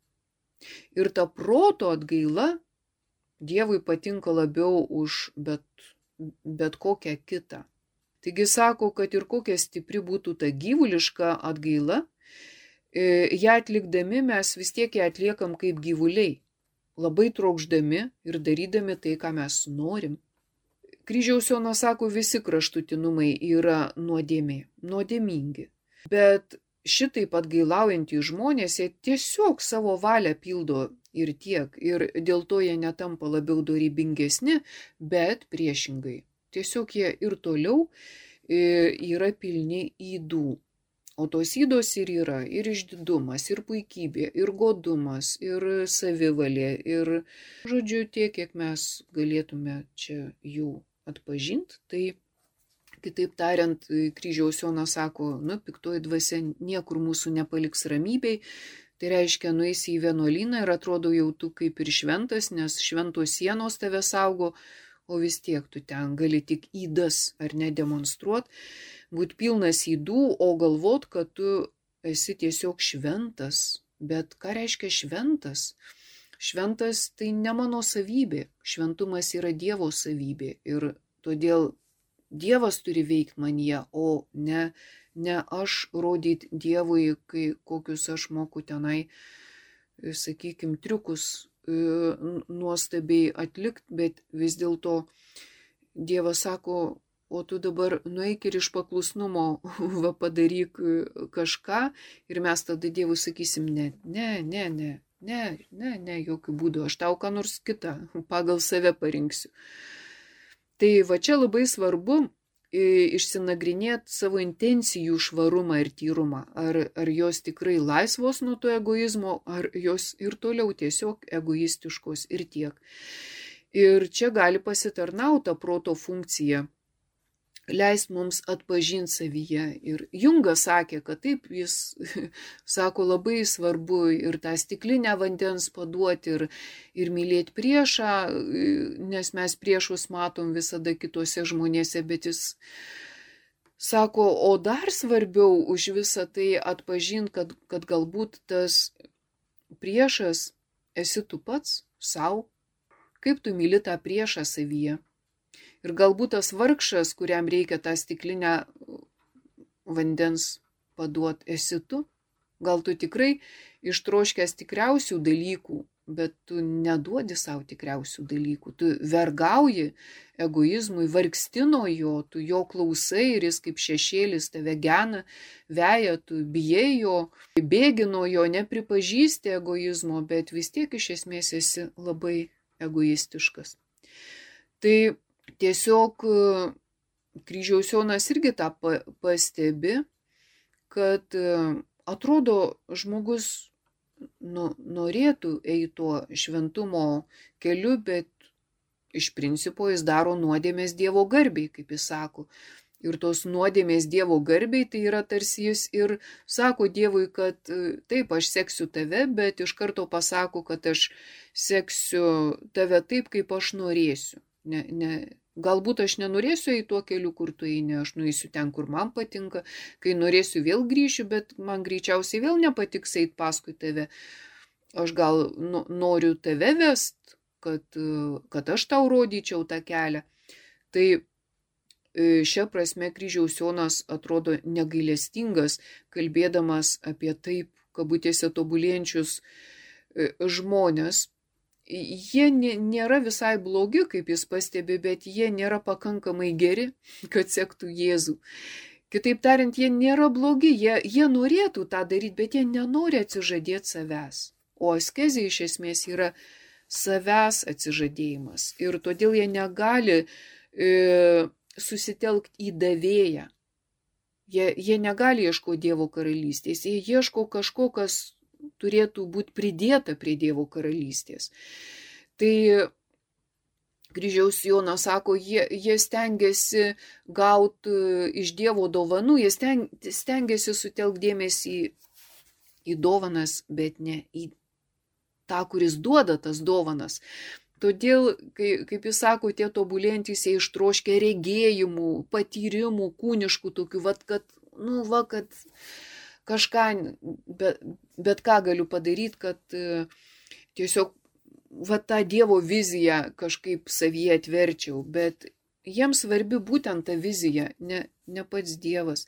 Ir ta proto atgaila Dievui patinka labiau už bet, bet kokią kitą. Taigi sako, kad ir kokia stipri būtų ta gyvuliška atgaila, ją atlikdami mes vis tiek ją atliekam kaip gyvuliai, labai trokšdami ir darydami tai, ką mes norim. Kryžiaus Jonas sako, visi kraštutinumai yra nuodėmė, nuodėmingi. Bet šitaip atgailaujantys žmonės, jie tiesiog savo valią pildo ir tiek. Ir dėl to jie netampa labiau dorybingesni, bet priešingai. Tiesiog jie ir toliau yra pilni ydų. O tos ydos ir yra ir išdidumas, ir puikybė, ir godumas, ir savivalė, ir, žodžiu, tiek, kiek mes galėtume čia jų atpažinti. Tai, kitaip tariant, Kryžiaus Jonas sako, nu, piktoji dvasia niekur mūsų nepaliks ramybei. Tai reiškia, nueisi į vienuolyną ir atrodo jau tu kaip ir šventas, nes šventos sienos tave saugo, o vis tiek tu ten gali tik ydas ar ne demonstruot, būt pilnas ydų, o galvot, kad tu esi tiesiog šventas. Bet ką reiškia šventas? Šventas tai ne mano savybė, šventumas yra Dievo savybė ir todėl Dievas turi veikti manyje, o ne, ne aš rodyti Dievui, kai kokius aš moku tenai, sakykime, triukus nuostabiai atlikti, bet vis dėlto Dievas sako, o tu dabar nueik ir iš paklusnumo va padaryk kažką ir mes tada Dievui sakysim, ne, ne, ne, ne, ne, ne, ne, jokių būdų, aš tau ką nors kitą pagal save parinksiu. Tai va čia labai svarbu išsinagrinėti savo intencijų švarumą ir tyrumą, ar, ar jos tikrai laisvos nuo to egoizmo, ar jos ir toliau tiesiog egoistiškos ir tiek. Ir čia gali pasitarnauti proto funkcija, leist mums atpažinti savyje. Ir Jungas sakė, kad taip, jis sako, labai svarbu ir tą stiklinę vandens paduoti ir, ir mylėti priešą, nes mes priešus matom visada kitose žmonėse, bet jis sako, o dar svarbiau už visą tai atpažinti, kad, kad galbūt tas priešas esi tu pats savo, kaip tu myli tą priešą savyje. Ir galbūt tas vargšas, kuriam reikia tą stiklinę vandens paduot, esi tu. Gal tu tikrai ištroškęs tikriausių dalykų, bet tu neduodi savo tikriausių dalykų. Tu vergauji egoizmui, vargsti nuo jo, tu jo klausai ir jis kaip šešėlis tave gena, veja, tu bijai jo, bėgi nuo jo, nepripažįsti egoizmo, bet vis tiek iš esmės esi labai egoistiškas. Tai tiesiog Kryžiaus Jonas irgi tą pastebi, kad atrodo žmogus nu, norėtų eiti tuo šventumo keliu, bet iš principo jis daro nuodėmės Dievo garbiai, kaip jis sako. Ir tos nuodėmės Dievo garbiai, tai yra tarsi jis ir sako Dievui, kad taip, aš seksiu tave, bet iš karto pasako, kad aš seksiu tave taip, kaip aš norėsiu. Ne, ne, galbūt aš nenorėsiu eiti tuo keliu, kur tu eini, aš nueisiu ten, kur man patinka, kai norėsiu vėl grįšiu, bet man greičiausiai vėl nepatiks eiti paskui tave. Aš gal nu, noriu tave vest, kad, kad aš tau rodyčiau tą kelią. Tai šia prasme Kryžiaus Jonas atrodo negailestingas, kalbėdamas apie taip, kabutėse tobulėjančius žmonės. Jie nėra visai blogi, kaip jis pastebi, bet jie nėra pakankamai geri, kad sektų Jėzų. Kitaip tariant, jie nėra blogi, jie, jie norėtų tą daryti, bet jie nenori atsižadėti savęs. O askezė iš esmės yra savęs atsižadėjimas. Ir todėl jie negali e, susitelkti į davėją. Jie, jie negali ieškoti Dievo karalystės, jie ieško kažko, kas turėtų būti pridėta prie Dievo karalystės. Tai Kryžiaus Jonas sako, jie, jie stengiasi gauti iš Dievo dovanų, jie steng, stengiasi sutelkti dėmesį į, į dovanas, bet ne į tą, kuris duoda tas dovanas. Todėl, kai, kaip jis sako, tie tobulėjantys jie ištroškia regėjimų, patyrimų, kūniškų tokių, vat, kad, nu, va, kad kažką, bet, bet ką galiu padaryti, kad tiesiog va, tą Dievo viziją kažkaip savyje atverčiau, bet jiems svarbi būtent ta vizija, ne, ne pats Dievas.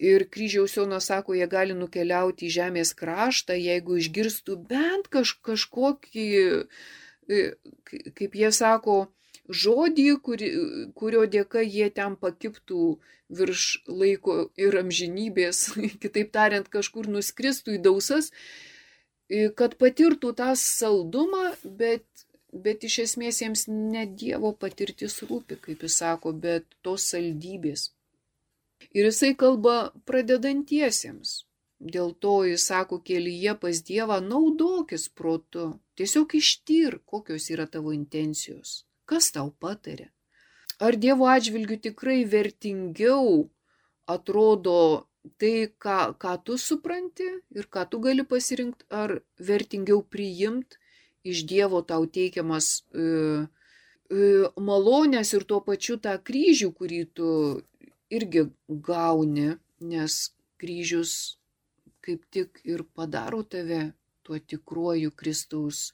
Ir kryžiaus Jonas sako, jie gali nukeliauti į žemės kraštą, jeigu išgirstų bent kaž, kažkokį, kaip jie sako, žodį, kuri, kurio dėka jie ten pakiptų virš laiko ir amžinybės, kitaip tariant, kažkur nuskristų į dausas, kad patirtų tą saldumą, bet, bet iš esmės jiems ne Dievo patirtis rūpi, kaip jis sako, bet tos saldybės. Ir jisai kalba pradedantiesiems. Dėl to jis sako, kelyje pas Dievą naudokis protu. Tiesiog ištyr, kokios yra tavo intencijos. Kas tau patarė? Ar Dievo atžvilgiu tikrai vertingiau atrodo tai, ką, ką tu supranti ir ką tu gali pasirinkti, ar vertingiau priimti iš Dievo tau teikiamas e, e, malonės ir tuo pačiu tą kryžių, kurį tu irgi gauni, nes kryžius kaip tik ir padaro tave tuo tikruoju Kristaus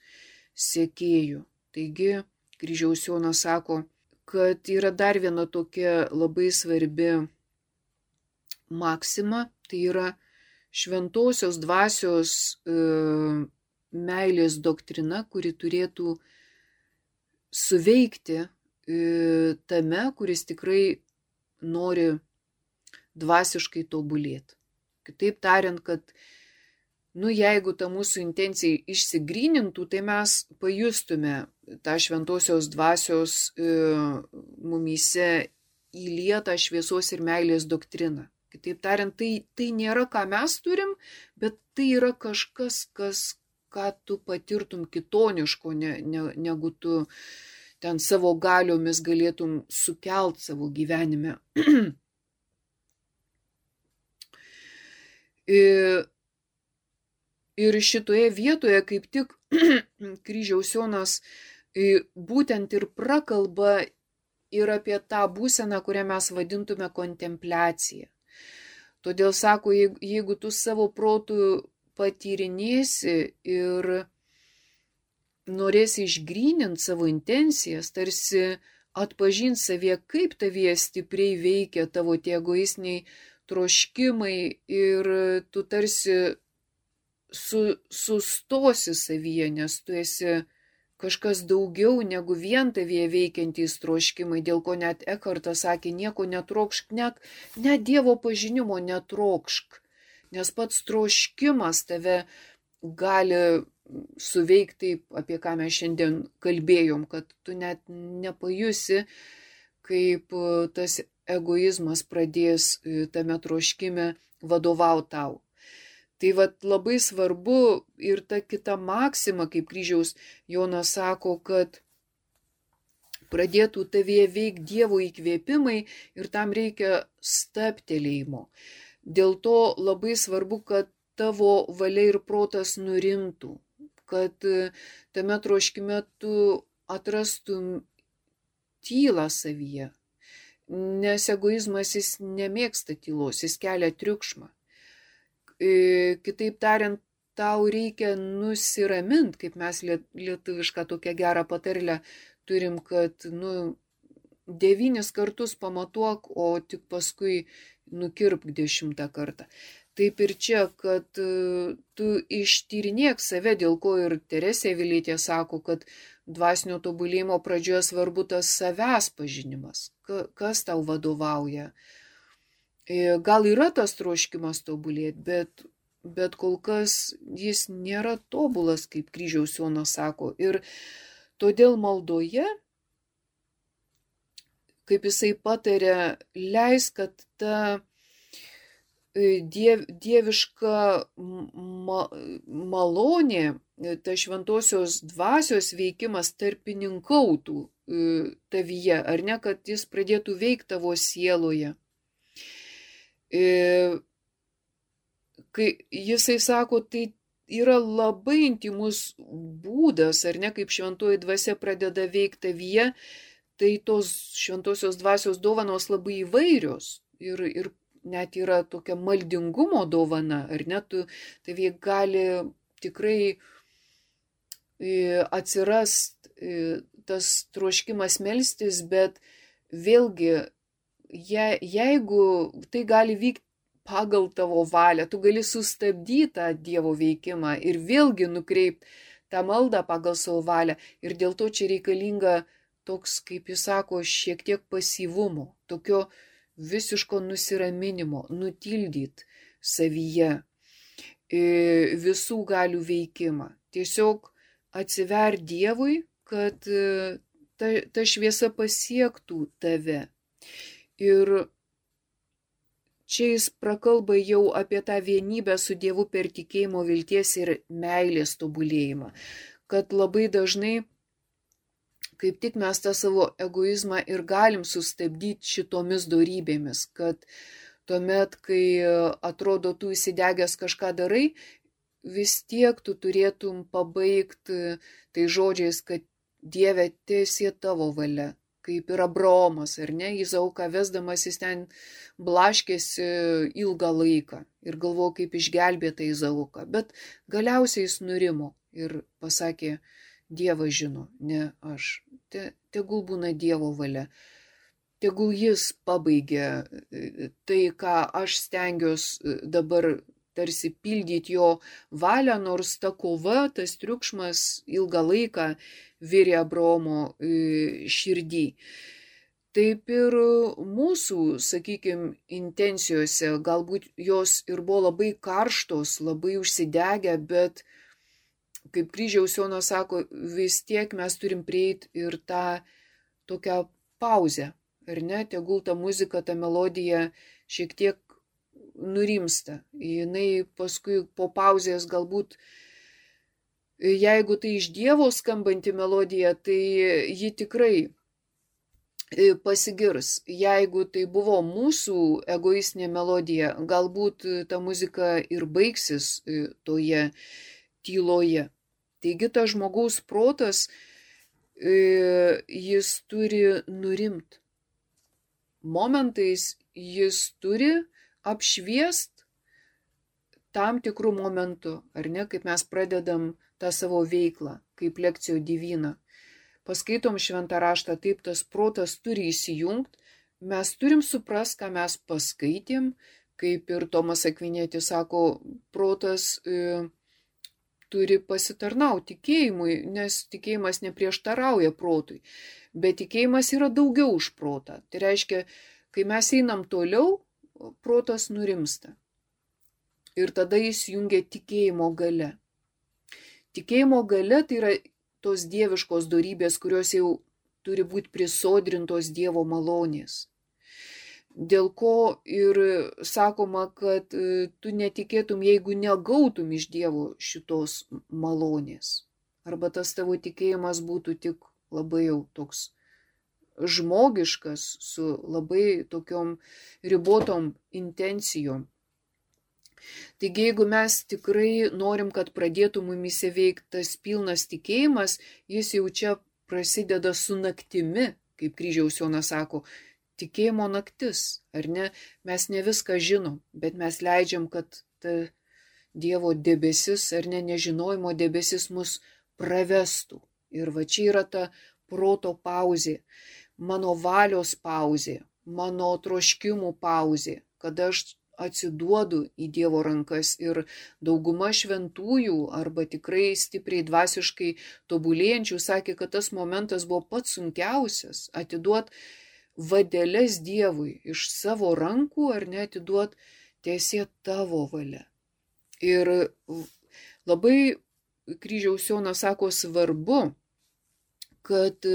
sekėju. Taigi, kryžiaus Jonas sako, kad yra dar viena tokia labai svarbi maksima, tai yra šventosios dvasios e, meilės doktrina, kuri turėtų suveikti e, tame, kuris tikrai nori dvasiškai tobulėti. Kitaip tariant, kad nu, jeigu ta mūsų intencija išsigrynintų, tai mes pajustume tą šventosios dvasios e, mumyse įlietą šviesos ir meilės doktriną. Kitaip tariant, tai, tai nėra, ką mes turim, bet tai yra kažkas, kas, ką tu patirtum kitoniško, ne, ne, negu tu ten savo galiomis galėtum sukelt savo gyvenime. Ir šitoje vietoje kaip tik kryžiaus Jonas būtent ir prakalba ir apie tą būseną, kurią mes vadintume kontempliacija. Todėl sako, jeigu tu savo protų patyrinėsi ir norėsi išgryninti savo intencijas, tarsi atpažinti savyje, kaip tavyje stipriai veikia tavo tie egoistiniai troškimai ir tu tarsi su, sustosi savyje, nes tu esi kažkas daugiau negu vien tavyje veikiantys troškimai, dėl ko net Ekhartas sakė, nieko netrokšk, net, net Dievo pažinimo netrokšk, nes pats troškimas tave gali suveikti taip, apie ką mes šiandien kalbėjom, kad tu net nepajusi, kaip tas egoizmas pradės tame troškime vadovauti tau. Tai vat labai svarbu ir ta kita maksima, kaip kryžiaus Jonas sako, kad pradėtų tavyje veikti Dievo įkvėpimai ir tam reikia stabtelėjimo. Dėl to labai svarbu, kad tavo valia ir protas nurimtų, kad tame troškime tu atrastum tylą savyje, nes egoizmas jis nemėgsta tylos, jis kelia triukšmą. Kitaip tariant, tau reikia nusiraminti, kaip mes lietuvišką tokią gerą patarlę turim, kad nu, devynis kartus pamatuok, o tik paskui nukirpk dešimtą kartą. Taip ir čia, kad tu ištyrinėk save, dėl ko ir Teresė Avilietė sako, kad dvasinio tobulėjimo pradžioje svarbu tas savęs pažinimas, kas tau vadovauja. Gal yra tas troškimas tobulėti, bet, bet kol kas jis nėra tobulas, kaip kryžiaus Jonas sako. Ir todėl maldoje, kaip jisai patarė, leis, kad ta diev, dieviška ma, malonė, ta šventosios dvasios veikimas tarpininkautų tavyje, ar ne, kad jis pradėtų veikti tavo sieloje. Kai jisai sako, tai yra labai intimus būdas, ar ne, kaip šventoji dvasia pradeda veikti tavyje, tai tos šventosios dvasios dovanos labai įvairios ir, ir net yra tokia maldingumo dovana, ar ne, tu tavyje gali tikrai atsirast tas troškimas melstis, bet vėlgi, Je, jeigu tai gali vykti pagal tavo valią, tu gali sustabdyti tą Dievo veikimą ir vėlgi nukreipti tą maldą pagal savo valią. Ir dėl to čia reikalinga toks, kaip jis sako, šiek tiek pasyvumo, tokio visiško nusiraminimo, nutildyti savyje visų galių veikimą. Tiesiog atsiver Dievui, kad ta, ta šviesa pasiektų tave. Ir čia jis prakalba jau apie tą vienybę su Dievu per tikėjimo, vilties ir meilės tobulėjimą. Kad labai dažnai, kaip tik mes tą savo egoizmą ir galim sustabdyti šitomis dorybėmis, kad tuomet, kai atrodo tu įsidegęs kažką darai, vis tiek tu turėtum pabaigti tai žodžiais, kad Dieve, teesie tavo valia, kaip ir Abraomas, ar ne, Izauką vesdamas jis ten blaškėsi ilgą laiką ir galvojo, kaip išgelbėti Izauką, bet galiausiai jis nurimo ir pasakė, Dievas žino, ne aš, Te, tegul būna Dievo valia. Tegul jis pabaigia tai, ką aš stengiuosi dabar tarsi pildyti jo valią, nors ta kova, tas triukšmas ilgą laiką virė Abraomo širdį. Taip ir mūsų, sakykime, intencijose, galbūt jos ir buvo labai karštos, labai užsidegę, bet, kaip Kryžiaus Jonas sako, vis tiek mes turim prieiti ir tą tokią pauzę. Ar ne, tegul ta muzika, ta melodija šiek tiek nurimsta. Jinai paskui po pauzės galbūt, jeigu tai iš Dievo skambanti melodija, tai ji tikrai pasigirs. Jeigu tai buvo mūsų egoistinė melodija, galbūt ta muzika ir baigsis toje tyloje. Taigi tas žmogaus protas, jis turi nurimti. Momentais jis turi apšviest tam tikrų momentų, ar ne, kaip mes pradedam tą savo veiklą, kaip lekcijo divina. Paskaitom šventą raštą, taip tas protas turi įsijungti, mes turim suprast, ką mes paskaitėm, kaip ir Tomas Akvinėtis sako, protas e, turi pasitarnauti tikėjimui, nes tikėjimas neprieštarauja protui. Bet tikėjimas yra daugiau už protą. Tai reiškia, kai mes einam toliau, protas nurimsta. Ir tada jis jungia tikėjimo galia. Tikėjimo galia tai yra tos dieviškos dorybės, kurios jau turi būti prisodrintos Dievo malonės. Dėl ko ir sakoma, kad tu netikėtum, jeigu negautum iš Dievo šitos malonės. Arba tas tavo tikėjimas būtų tik labai jau toks žmogiškas, su labai tokiom ribotom intencijom. Taigi, jeigu mes tikrai norim, kad pradėtų mumise veikti tas pilnas tikėjimas, jis jau čia prasideda su naktimi, kaip Kryžiaus Jonas sako, tikėjimo naktis, ar ne? Mes ne viską žinom, bet mes leidžiam, kad ta Dievo debesis, ar ne, nežinojimo debesis mus pravestų. Ir va čia yra ta proto pauzė, mano valios pauzė, mano troškimų pauzė, kada aš atsiduodu į Dievo rankas. Ir dauguma šventųjų arba tikrai stipriai dvasiškai tobulėjančių sakė, kad tas momentas buvo pats sunkiausias, atiduot vadeles Dievui iš savo rankų, ar ne, atiduot teesie tavo valia. Ir labai Kryžiaus Jonas sako, svarbu, kad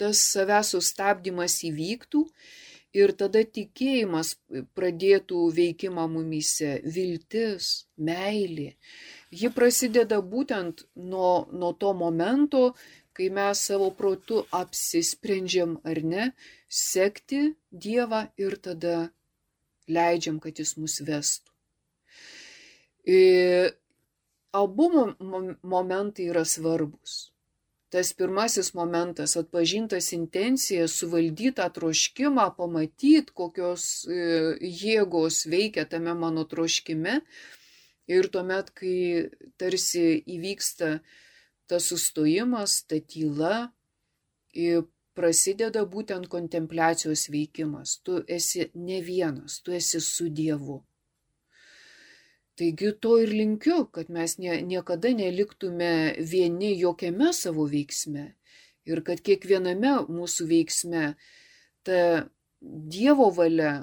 tas savęs sustabdymas įvyktų ir tada tikėjimas pradėtų veikimą mumyse, viltis, meilė. Ji prasideda būtent nuo, nuo to momento, kai mes savo protu apsisprendžiam ar ne, sekti Dievą ir tada leidžiam, kad jis mus vestų. Ir abu momentai yra svarbus. Tas pirmasis momentas, atpažintas intencija, suvaldytą troškimą, pamatyti, kokios jėgos veikia tame mano troškime. Ir tuomet, kai tarsi įvyksta tas sustojimas, ta tyla, prasideda būtent kontempliacijos veikimas. Tu esi ne vienas, tu esi su Dievu. Taigi to ir linkiu, kad mes nie, niekada neliktume vieni jokiame savo veiksme ir kad kiekviename mūsų veiksme ta Dievo valia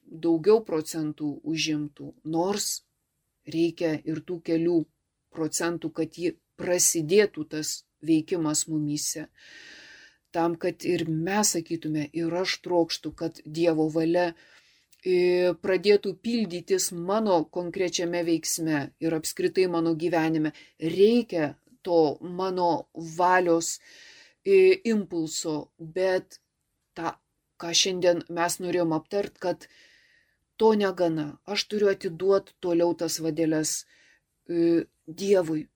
daugiau procentų užimtų, nors reikia ir tų kelių procentų, kad ji prasidėtų tas veikimas mumyse. Tam, kad ir mes sakytume, ir aš trokštu, kad Dievo valia pradėtų pildytis mano konkrečiame veiksme ir apskritai mano gyvenime. Reikia to mano valios impulso, bet tą, ką šiandien mes norėjom aptart, kad to negana. Aš turiu atiduoti toliau tas vadeles Dievui,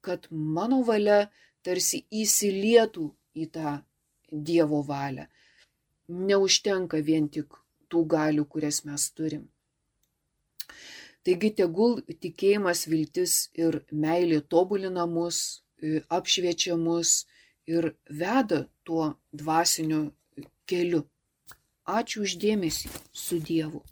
kad mano valia tarsi įsilietų į tą Dievo valią. Neužtenka vien tik tų galių, kurias mes turim. Taigi tegul tikėjimas, viltis ir meilė tobulina mus, apšviečia mus ir veda tuo dvasiniu keliu. Ačiū už dėmesį, su Dievu.